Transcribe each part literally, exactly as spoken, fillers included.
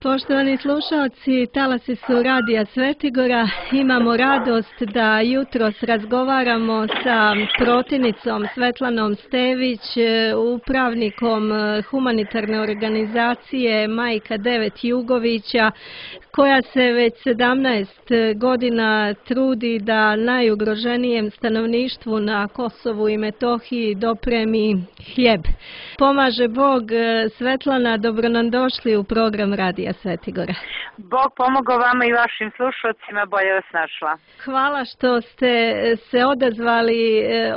Poštovani slušalci, talasi su Radija Svetigora. Imamo radost da jutros razgovaramo sa protivnicom Svetlanom Stević, upravnikom humanitarne organizacije Majka devet Jugovića, koja se već sedamnaest godina trudi da najugroženijem stanovništvu na Kosovu i Metohiji dopremi hljeb. Pomaže Bog. Svetlana, dobro nam došli u program Radija Svetigora. Bog pomogao vama i vašim slušalcima, bolje vas našla. Hvala što ste se odazvali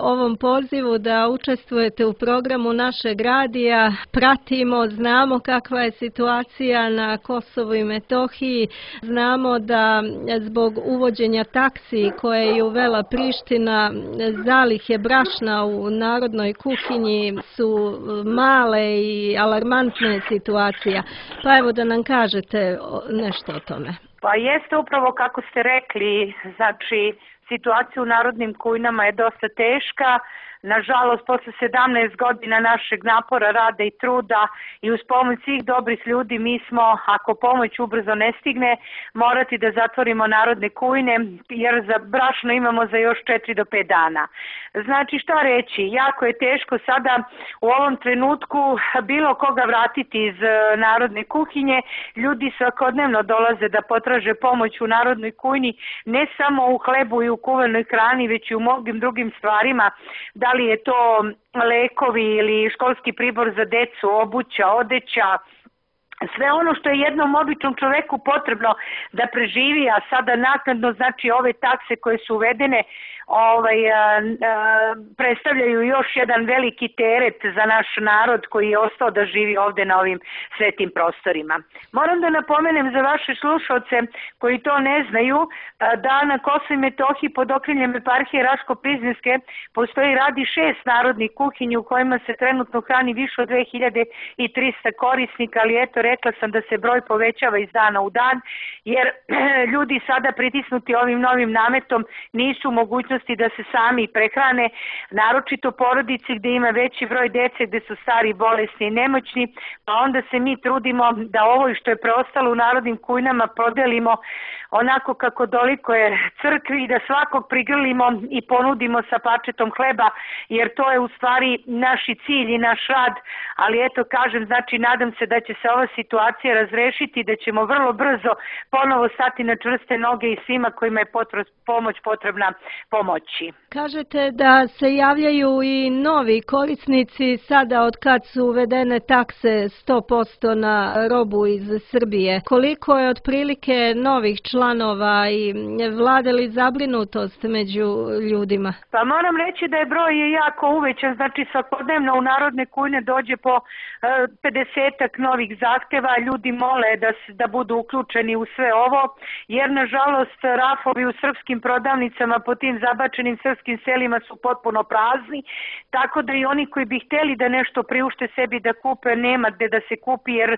ovom pozivu da učestvujete u programu našeg radija. Pratimo, znamo kakva je situacija na Kosovu i Metohiji. Znamo da zbog uvođenja taksi koje je uvela Priština, zalihe brašna u narodnoj kuhinji su male i alarmantne situacija. Pa evo da nam kažete nešto o tome. Pa jeste upravo kako ste rekli, znači situacija u narodnim kujnama je dosta teška. Nažalost, posle sedamnaest godina našeg napora, rada i truda i uz pomoć svih dobrih ljudi mi smo, ako pomoć ubrzo ne stigne, morati da zatvorimo narodne kujne, jer za brašno imamo za još četiri do pet dana. Znači, šta reći, jako je teško sada u ovom trenutku bilo koga vratiti iz narodne kuhinje. Ljudi svakodnevno dolaze da potraže pomoć u narodnoj kujni, ne samo u hlebu i u kuvanoj hrani, već i u mnogim drugim stvarima. Da li je to lekovi ili školski pribor za decu, obuća, odeća, sve ono što je jednom običnom čoveku potrebno da preživi, a sada naknadno, znači ove takse koje su uvedene ovaj, a, a, predstavljaju još jedan veliki teret za naš narod koji je ostao da živi ovde na ovim svetim prostorima. Moram da napomenem za vaše slušalce koji to ne znaju, da na Kosovu i Metohiji pod okriljem eparhije Raško-Prizrenske postoji radi šest narodnih kuhinji u kojima se trenutno hrani više od dve hiljade trista korisnika, ali eto, rekla sam da se broj povećava iz dana u dan, jer ljudi sada pritisnuti ovim novim nametom nisu u mogućnosti da se sami prehrane, naročito porodici gde ima veći broj dece, gde su stari, bolesni i nemoćni, pa onda se mi trudimo da ovo što je preostalo u narodnim kujnama podelimo onako kako doliko je crkvi i da svakog prigrlimo i ponudimo sa parčetom hleba, jer to je u stvari naš cilj i naš rad, ali eto kažem, znači nadam se da će se ova situacija razrešiti, da ćemo vrlo brzo ponovo stati na čvrste noge i svima kojima je potre, pomoć potrebna pomoći. Kažete da se javljaju i novi korisnici sada od kad su uvedene takse sto posto na robu iz Srbije. Koliko je otprilike novih članova i vlada li zabrinutost među ljudima? Pa moram reći da je broj jako uvećan, znači svakodnevno u narodne kujne dođe po pedesetak novih zahteva, ljudi mole da, da budu uključeni u sve ovo, jer nažalost rafovi u srpskim prodavnicama po tim zabačenim srpskim selima su potpuno prazni, tako da i oni koji bi hteli da nešto priušte sebi da kupe, nema gde da se kupi, jer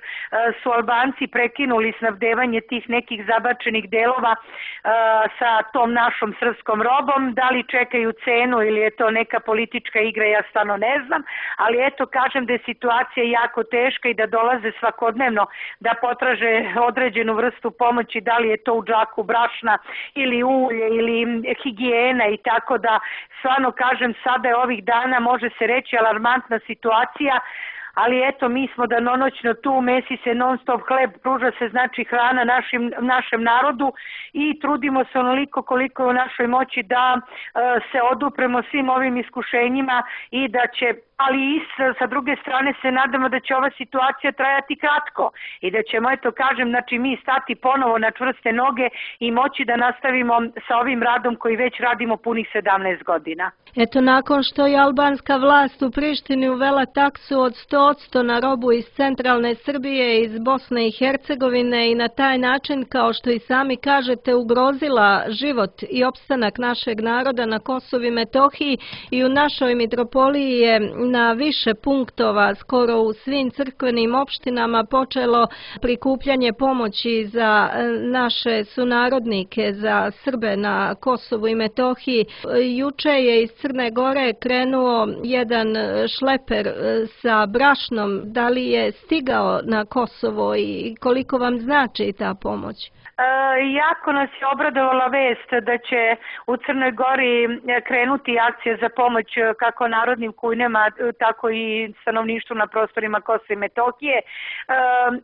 su Albanci prekinuli snabdevanje tih nekih zabačenih delova sa tom našom srpskom robom. Da li čekaju cenu ili je to neka politička igra, ja stvarno ne znam, ali eto kažem da je situacija jako teška i da dolaze svakodnevno da potraže određenu vrstu pomoći, da li je to u džaku brašna ili ulje ili higijena, i tako da stvarno kažem sada je ovih dana, može se reći, alarmantna situacija. Ali eto, mi smo danonoćno tu, mesi se non stop hleb, pruža se znači hrana našim, našem narodu i trudimo se onoliko koliko je u našoj moći da e, se odupremo svim ovim iskušenjima i da će, ali i sa druge strane se nadamo da će ova situacija trajati kratko i da ćemo, eto kažem, znači mi stati ponovo na čvrste noge i moći da nastavimo sa ovim radom koji već radimo punih sedamnaest godina. Eto, nakon što je albanska vlast u Prištini uvela taksu od sto posto na robu iz centralne Srbije, iz Bosne i Hercegovine i na taj način, kao što i sami kažete, ugrozila život i opstanak našeg naroda na Kosovu i Metohiji, i u našoj mitropoliji je na više punktova, skoro u svim crkvenim opštinama, počelo prikupljanje pomoći za naše sunarodnike, za Srbe na Kosovu i Metohiji. Juče je iz Crne Gore krenuo jedan šleper sa brašnom. Da li je stigao na Kosovo i koliko vam znači ta pomoć? E, jako nas je obradovala vest da će u Crnoj Gori krenuti akcija za pomoć kako narodnim kujnama, tako i stanovništvu na prostorima Kosova i Metohije. E,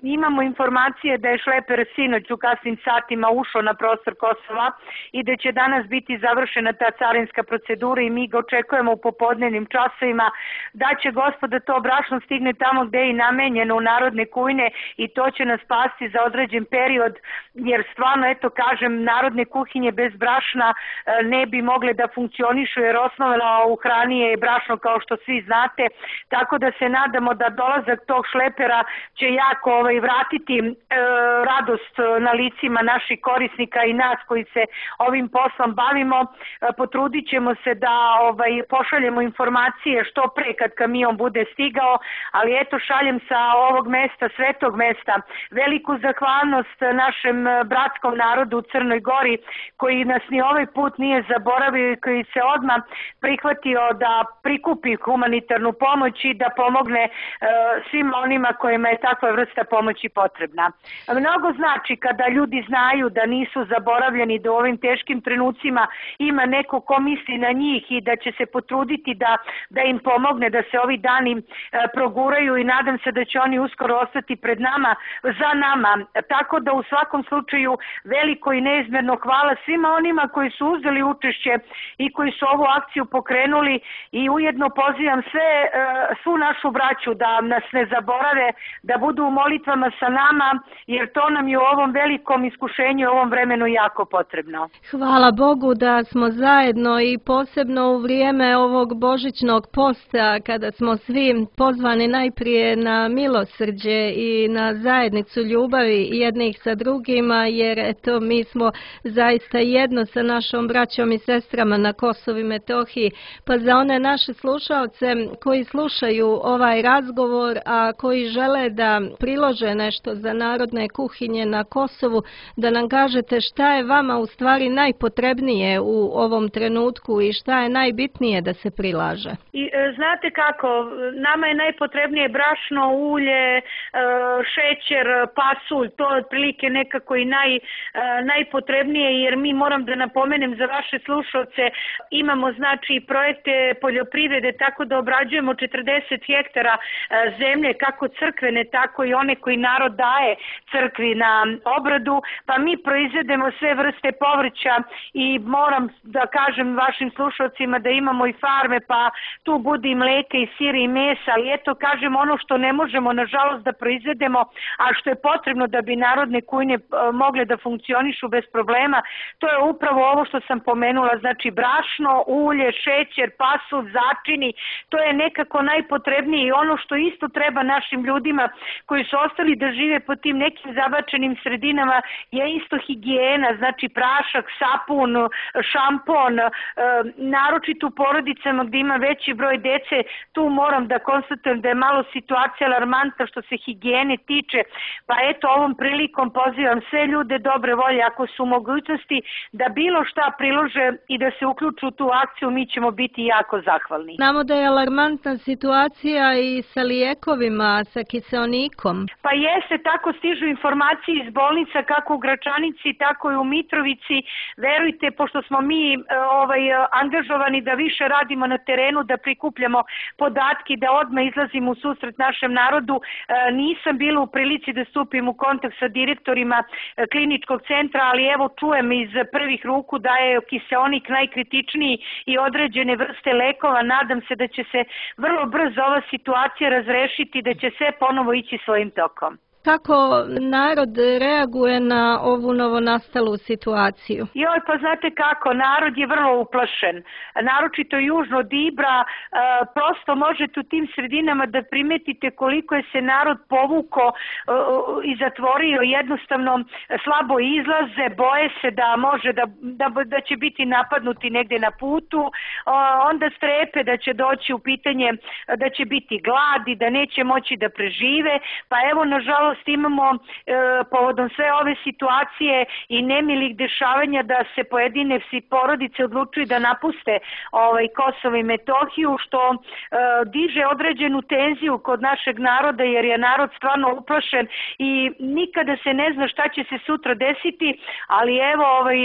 imamo informacije da je šleper sinoć u kasnim satima ušao na prostor Kosova i da će danas biti završena ta carinska procedura i mi ga očekujemo u popodnevnim časovima, da će Gospoda to brašno stigne tamo gde je i namenjeno u narodne kujne i to će nas spasti za određen period, jer stvarno, eto kažem, narodne kuhinje bez brašna ne bi mogle da funkcionišu, jer osnovna u hrani je brašno, kao što svi znate, tako da se nadamo da dolazak tog šlepera će jako ovaj, vratiti e, radost na licima naših korisnika i nas koji se ovim poslom bavimo. E, potrudit ćemo se da ovaj, pošaljemo informacije što pre kad kamion bude stigao, ali eto šaljem sa ovog mesta, svetog mesta, veliku zahvalnost našem bratskom narodu u Crnoj Gori koji nas ni ovaj put nije zaboravio i koji se odmah prihvatio da prikupi humanitarnu pomoć i da pomogne e, svim onima kojima je takva vrsta pomoći potrebna. Mnogo znači kada ljudi znaju da nisu zaboravljeni, da u ovim teškim trenucima ima neko ko misli na njih i da će se potruditi da, da im pomogne, da se ovi dani e, proguraju i nadam se da će oni uskoro ostati pred nama, za nama. Tako da u svakom slučaju veliko i neizmjerno hvala svima onima koji su uzeli učešće i koji su ovu akciju pokrenuli i ujedno pozivam sve, svu našu braću da nas ne zaborave, da budu u molitvama sa nama, jer to nam je u ovom velikom iskušenju, u ovom vremenu jako potrebno. Hvala Bogu da smo zajedno i posebno u vrijeme ovog božićnog posta, kada smo svi pozvani najprije na milosrđe i na zajednicu ljubavi jednih sa drugima, jer eto mi smo zaista jedno sa našom braćom i sestrama na Kosovu i Metohiji. Pa za one naše slušaoce koji slušaju ovaj razgovor, a koji žele da prilože nešto za narodne kuhinje na Kosovu, da nam kažete šta je vama u stvari najpotrebnije u ovom trenutku i šta je najbitnije da se prilaže. I, e, znate kako, nama je najpotrebnije brašno, ulje, e, šećer, pasulj, to je otprilike nekako i naj, e, najpotrebnije, jer mi, moram da napomenem za vaše slušalce, imamo znači projekte poljoprivrede, tako da obrađujemo četrdeset hektara e, zemlje, kako crkvene, tako i one koji narod daje crkvi na obradu, pa mi proizvedemo sve vrste povrća i moram da kažem vašim slušalcima da imamo i farme, pa tu bude i mleka i sira i mesa, ali eto kažem ono što ne možemo nažalost da proizvedemo, a što je potrebno da bi narodne kujne mogle da funkcionišu bez problema, to je upravo ovo što sam pomenula, znači brašno, ulje, šećer, pasulj, začini, to je nekako najpotrebnije i ono što isto treba našim ljudima koji su ostali da žive po tim nekim zabačenim sredinama je isto higijena, znači prašak, sapun, šampon, e, naročito u porodicama gdje ima veći broj dece, tu moram da konstatujem da je malo situacija alarmantna što se higijene tiče, pa eto ovom prilikom pozivam sve ljude dobre volje, ako su mogućnosti da bilo šta prilože i da se uključu u tu akciju, mi ćemo biti jako zahvalni. Znamo da je alarmantna situacija i sa lijekovima, sa kiseonikom. Pa jeste, tako stižu informacije iz bolnica kako u Gračanici, tako i u Mitrovici. Verujte, pošto smo mi ovaj, angažovani da više radimo na terenu, da prikupljamo podatke, da odmah izlazimo u susret našem narodu, nisam bila u prilici da stupim u kontakt sa direktorima kliničkog centra, ali evo čujem iz prvih ruku da je kiseonik najkritičniji i određene vrste lekova. Nadam se da će se vrlo brzo ova situacija razrešiti, da će sve ponovo ići svojim tokom. Kako narod reaguje na ovu novonastalu situaciju? Joj, pa znate kako, narod je vrlo uplašen. Naročito južno od Ibra, prosto možete u tim sredinama da primetite koliko je se narod povuko i zatvorio, jednostavno slabo izlaze, boje se da može da, da, da će biti napadnuti negde na putu, onda strepe da će doći u pitanje da će biti gladi, da neće moći da prežive, pa evo nažalost imamo e, povodom sve ove situacije i nemilih dešavanja da se pojedine porodice odlučuju da napuste ovaj, Kosovo i Metohiju, što e, diže određenu tenziju kod našeg naroda, jer je narod stvarno uplašen i nikada se ne zna šta će se sutra desiti, ali evo ovaj,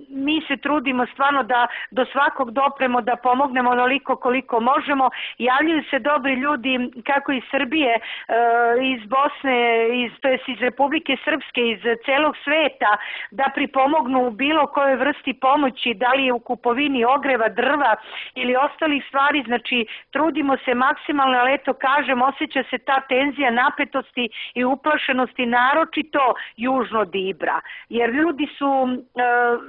mi se trudimo stvarno da do svakog dopremo, da pomognemo onoliko koliko možemo. Javljaju se dobri ljudi kako iz Srbije, e, iz Bosne, iz, to jest iz Republike Srpske, iz celog sveta, da pripomognu u bilo kojoj vrsti pomoći, da li je u kupovini ogreva, drva ili ostalih stvari. Znači, trudimo se maksimalno, ali eto kažem, osjeća se ta tenzija napetosti i uplašenosti, naročito južno od Ibra. Jer ljudi su, e,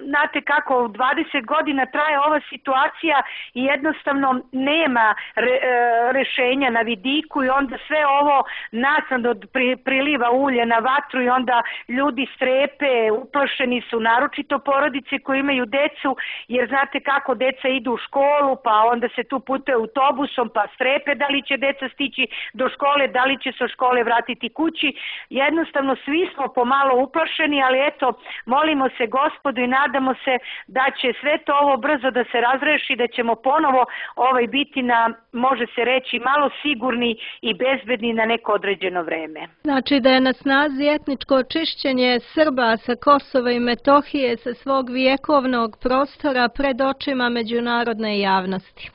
znate kako, dvadeset godina traje ova situacija i jednostavno nema re, e, rešenja na vidiku i onda sve ovo naknadno pri, priliva ulje na vatru i onda ljudi strepe, uplašeni su, naročito porodice koji imaju decu, jer znate kako, deca idu u školu, pa onda se tu putuje autobusom, pa strepe da li će deca stići do škole, da li će se od škole vratiti kući. Jednostavno svi smo pomalo uplašeni, ali eto, molimo se Gospodu i nadamo se da će sve to ovo brzo da se razreši, da ćemo ponovo ovaj biti na, može se reći, malo sigurni i bezbedni na neko određeno vreme. Znači da je na snazi etničko očišćenje Srba sa Kosova i Metohije sa svog vjekovnog prostora pred očima međunarodne javnosti.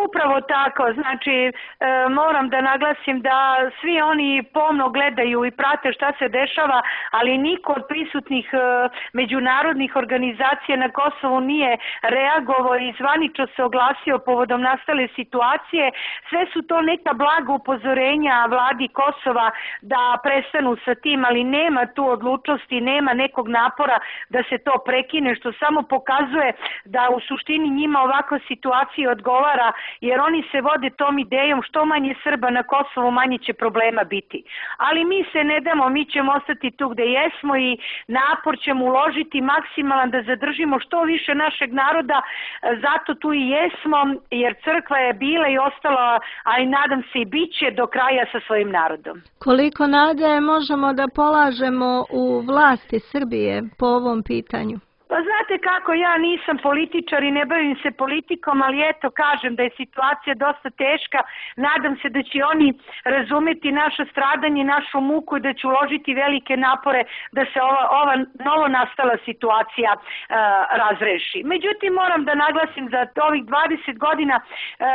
Upravo tako, znači e, moram da naglasim da svi oni pomno gledaju i prate šta se dešava, ali niko od prisutnih e, međunarodnih organizacija na Kosovu nije reagovao i zvanično se oglasio povodom nastale situacije. Sve su to neka blaga upozorenja vladi Kosova da prestanu sa tim, ali nema tu odlučnosti, nema nekog napora da se to prekine, što samo pokazuje da u suštini njima ovakva situacija odgovara, jer oni se vode tom idejom što manje Srba na Kosovu, manje će problema biti. Ali mi se ne damo, mi ćemo ostati tu gde jesmo i napor ćemo uložiti maksimalan da zadržimo što više našeg naroda, zato tu i jesmo, jer crkva je bila i ostala, a i nadam se i bit će do kraja sa svojim narodom. Koliko nade možemo da polažemo u vlasti Srbije po ovom pitanju? Pa znate kako, ja nisam političar i ne bavim se politikom, ali eto kažem da je situacija dosta teška. Nadam se da će oni razumeti naše stradanje, našu muku i da će uložiti velike napore da se ova, ova novo nastala situacija e, razreši. Međutim, moram da naglasim za ovih dvadeset godina e,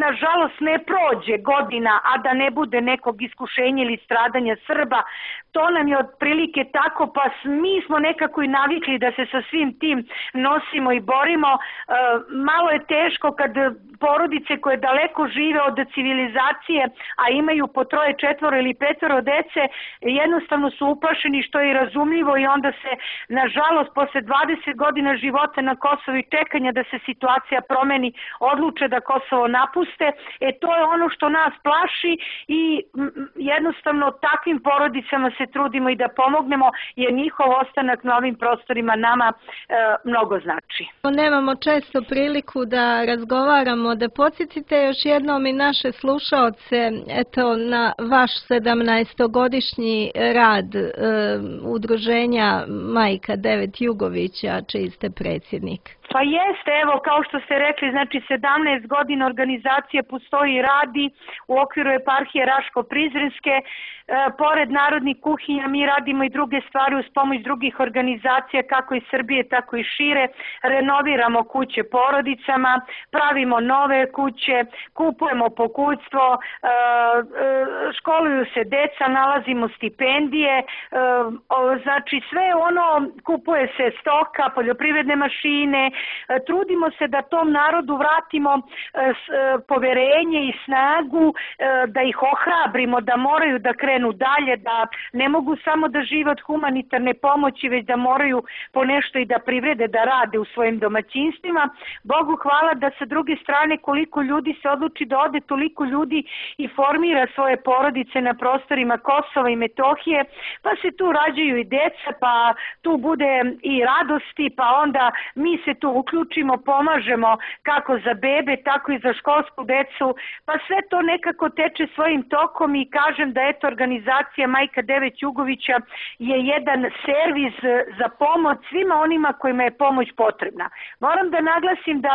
nažalost ne prođe godina, a da ne bude nekog iskušenja ili stradanja Srba. To nam je otprilike tako, pa mi smo nekako i navikli da se sa svim tim nosimo i borimo. E, malo je teško kad porodice koje daleko žive od civilizacije, a imaju po troje, četvoro ili petoro dece, jednostavno su uplašeni, što je i razumljivo, i onda se, nažalost, posle dvadeset godina života na Kosovu i čekanja da se situacija promeni, odluče da Kosovo napuste. E to je ono što nas plaši i jednostavno takvim porodicama se trudimo i da pomognemo, jer njihov ostanak na ovim prostorima nama e, mnogo znači. Nemamo često priliku da razgovaramo, da podsjetite još jednom i naše slušaoce eto, na vaš sedamnaestogodišnji rad e, udruženja Majka Devet Jugovića, čiji ste predsjednik. Pa jeste, evo, kao što ste rekli, znači sedamnaest godina organizacija postoji i radi u okviru eparhije Raško-Prizrenske. E, pored narodnih kuhinja mi radimo i druge stvari uz pomoć drugih organizacija, kako iz Srbije, tako i šire. Renoviramo kuće porodicama, pravimo nove kuće, kupujemo pokućstvo, e, e, školuju se deca, nalazimo stipendije, e, o, znači sve ono, kupuje se stoka, poljoprivredne mašine, trudimo se da tom narodu vratimo poverenje i snagu, da ih ohrabrimo da moraju da krenu dalje, da ne mogu samo da žive od humanitarne pomoći, već da moraju po nešto i da privrede, da rade u svojim domaćinstvima. Bogu hvala da sa druge strane koliko ljudi se odluči da ode, toliko ljudi i formira svoje porodice na prostorima Kosova i Metohije, pa se tu rađaju i deca, pa tu bude i radosti, pa onda mi se tu uključimo, pomažemo kako za bebe, tako i za školsku decu, pa sve to nekako teče svojim tokom i kažem da eto organizacija Majka devet Jugovića je jedan servis za pomoć svima onima kojima je pomoć potrebna. Moram da naglasim da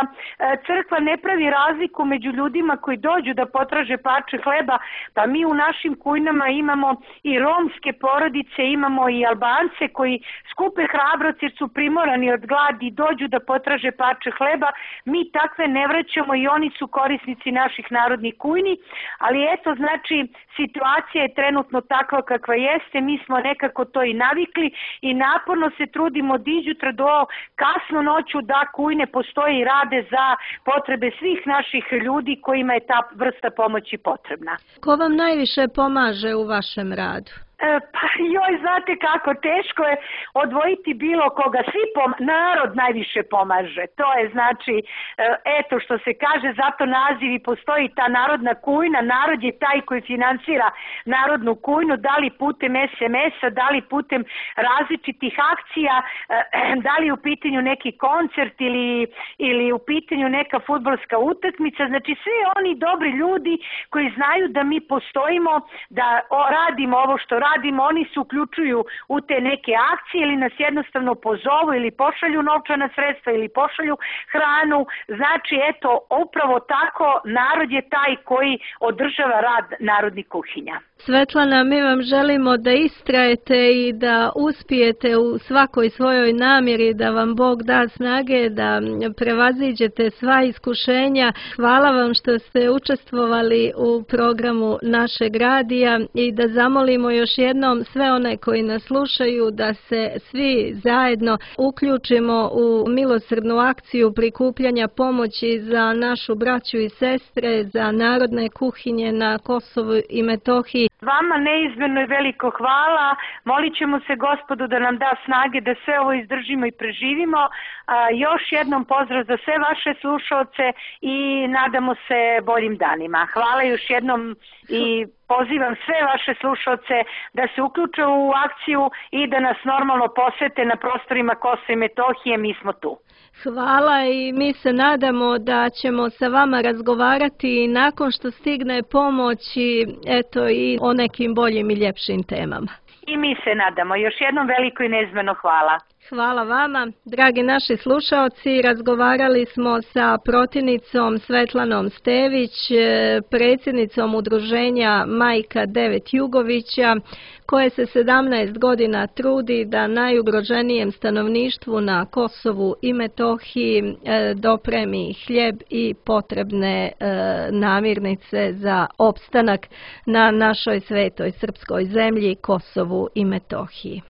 crkva ne pravi razliku među ljudima koji dođu da potraže parče hleba, pa mi u našim kujnama imamo i romske porodice, imamo i Albance koji skupe hrabrost jer su primorani od gladi i dođu da potraže parče hleba. Mi takve ne vraćamo i oni su korisnici naših narodnih kujni, ali eto znači situacija je trenutno takva kakva jeste, mi smo nekako to i navikli i naporno se trudimo od iđutra do kasno noću da kujne postoje i rade za potrebe svih naših ljudi kojima je ta vrsta pomoći potrebna. Ko vam najviše pomaže u vašem radu? Pa joj, znate kako, teško je odvojiti bilo koga, svi pom narod najviše pomaže, to je znači, eto što se kaže, zato naziv i postoji ta narodna kujna, narod je taj koji finansira narodnu kujnu, da li putem es em es-a, da li putem različitih akcija, da li u pitanju neki koncert ili, ili u pitanju neka fudbalska utakmica, znači svi oni dobri ljudi koji znaju da mi postojimo, da radimo ovo što radimo, radimo, oni se uključuju u te neke akcije ili nas jednostavno pozovu ili pošalju novčana sredstva ili pošalju hranu. Znači, eto, upravo tako narod je taj koji održava rad narodnih kuhinja. Svetlana, mi vam želimo da istrajete i da uspijete u svakoj svojoj namjeri, da vam Bog da snage, da prevaziđete sva iskušenja. Hvala vam što ste učestvovali u programu našeg radija i da zamolimo još jednom sve one koji nas slušaju da se svi zajedno uključimo u milosrdnu akciju prikupljanja pomoći za našu braću i sestre, za narodne kuhinje na Kosovu i Metohiji. Vama neizmjerno i veliko hvala. Molit ćemo se Gospodu da nam da snage da sve ovo izdržimo i preživimo. A, još jednom pozdrav za sve vaše slušalce i nadamo se boljim danima. Hvala još jednom i pozivam sve vaše slušalce da se uključe u akciju i da nas normalno posete na prostorima Kosova i Metohije, mi smo tu. Hvala i mi se nadamo da ćemo sa vama razgovarati nakon što stigne pomoć i eto i o nekim boljim i ljepšim temama. I mi se nadamo. Još jednom veliko i neizmjerno hvala. Hvala vama. Dragi naši slušaoci, razgovarali smo sa protivnicom Svetlanom Stević, predsjednicom udruženja Majka devet Jugovića, koje se sedamnaest godina trudi da najugroženijem stanovništvu na Kosovu i Metohiji dopremi hljeb i potrebne namirnice za opstanak na našoj svetoj srpskoj zemlji Kosovu i Metohiji.